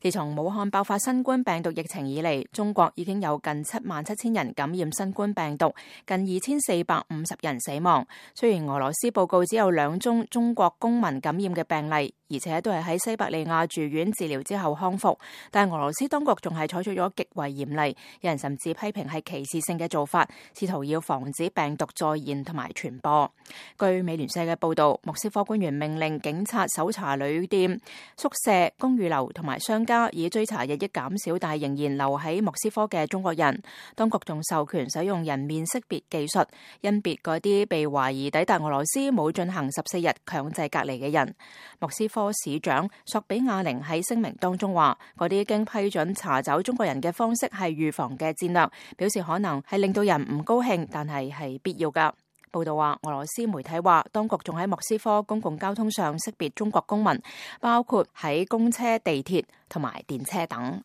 自從武漢爆發新冠病毒疫情以嚟，中國已經有近77000人感染新冠病毒，近2450人死亡。雖然俄羅斯報告只有2宗中國公民感染嘅病例，而且都係喺西伯利亞住院治療之後康復，但俄羅斯當局仲係採取咗極為嚴厲，有人甚至批評係歧視性嘅做法，試圖要防止病毒再現同埋傳播。據美聯社嘅報道，莫斯科官員命令警察搜查旅店、宿舍、公寓樓同埋商家，以追查日益減少但係仍然留喺莫斯科嘅中國人。當局仲授權使用人面識別技術，甄別嗰啲被懷疑抵達俄羅斯冇進行14日強制隔離嘅人。莫斯科市長索比亞寧喺聲明當中話，嗰啲經批准查找中國人嘅方式係預防嘅戰略，表示可能係令到人唔高興，但係必要㗎。報道話，俄羅斯媒體話，當局仲喺莫斯科公共交通上識別中國公民，包括喺公車、地鐵同埋電車等。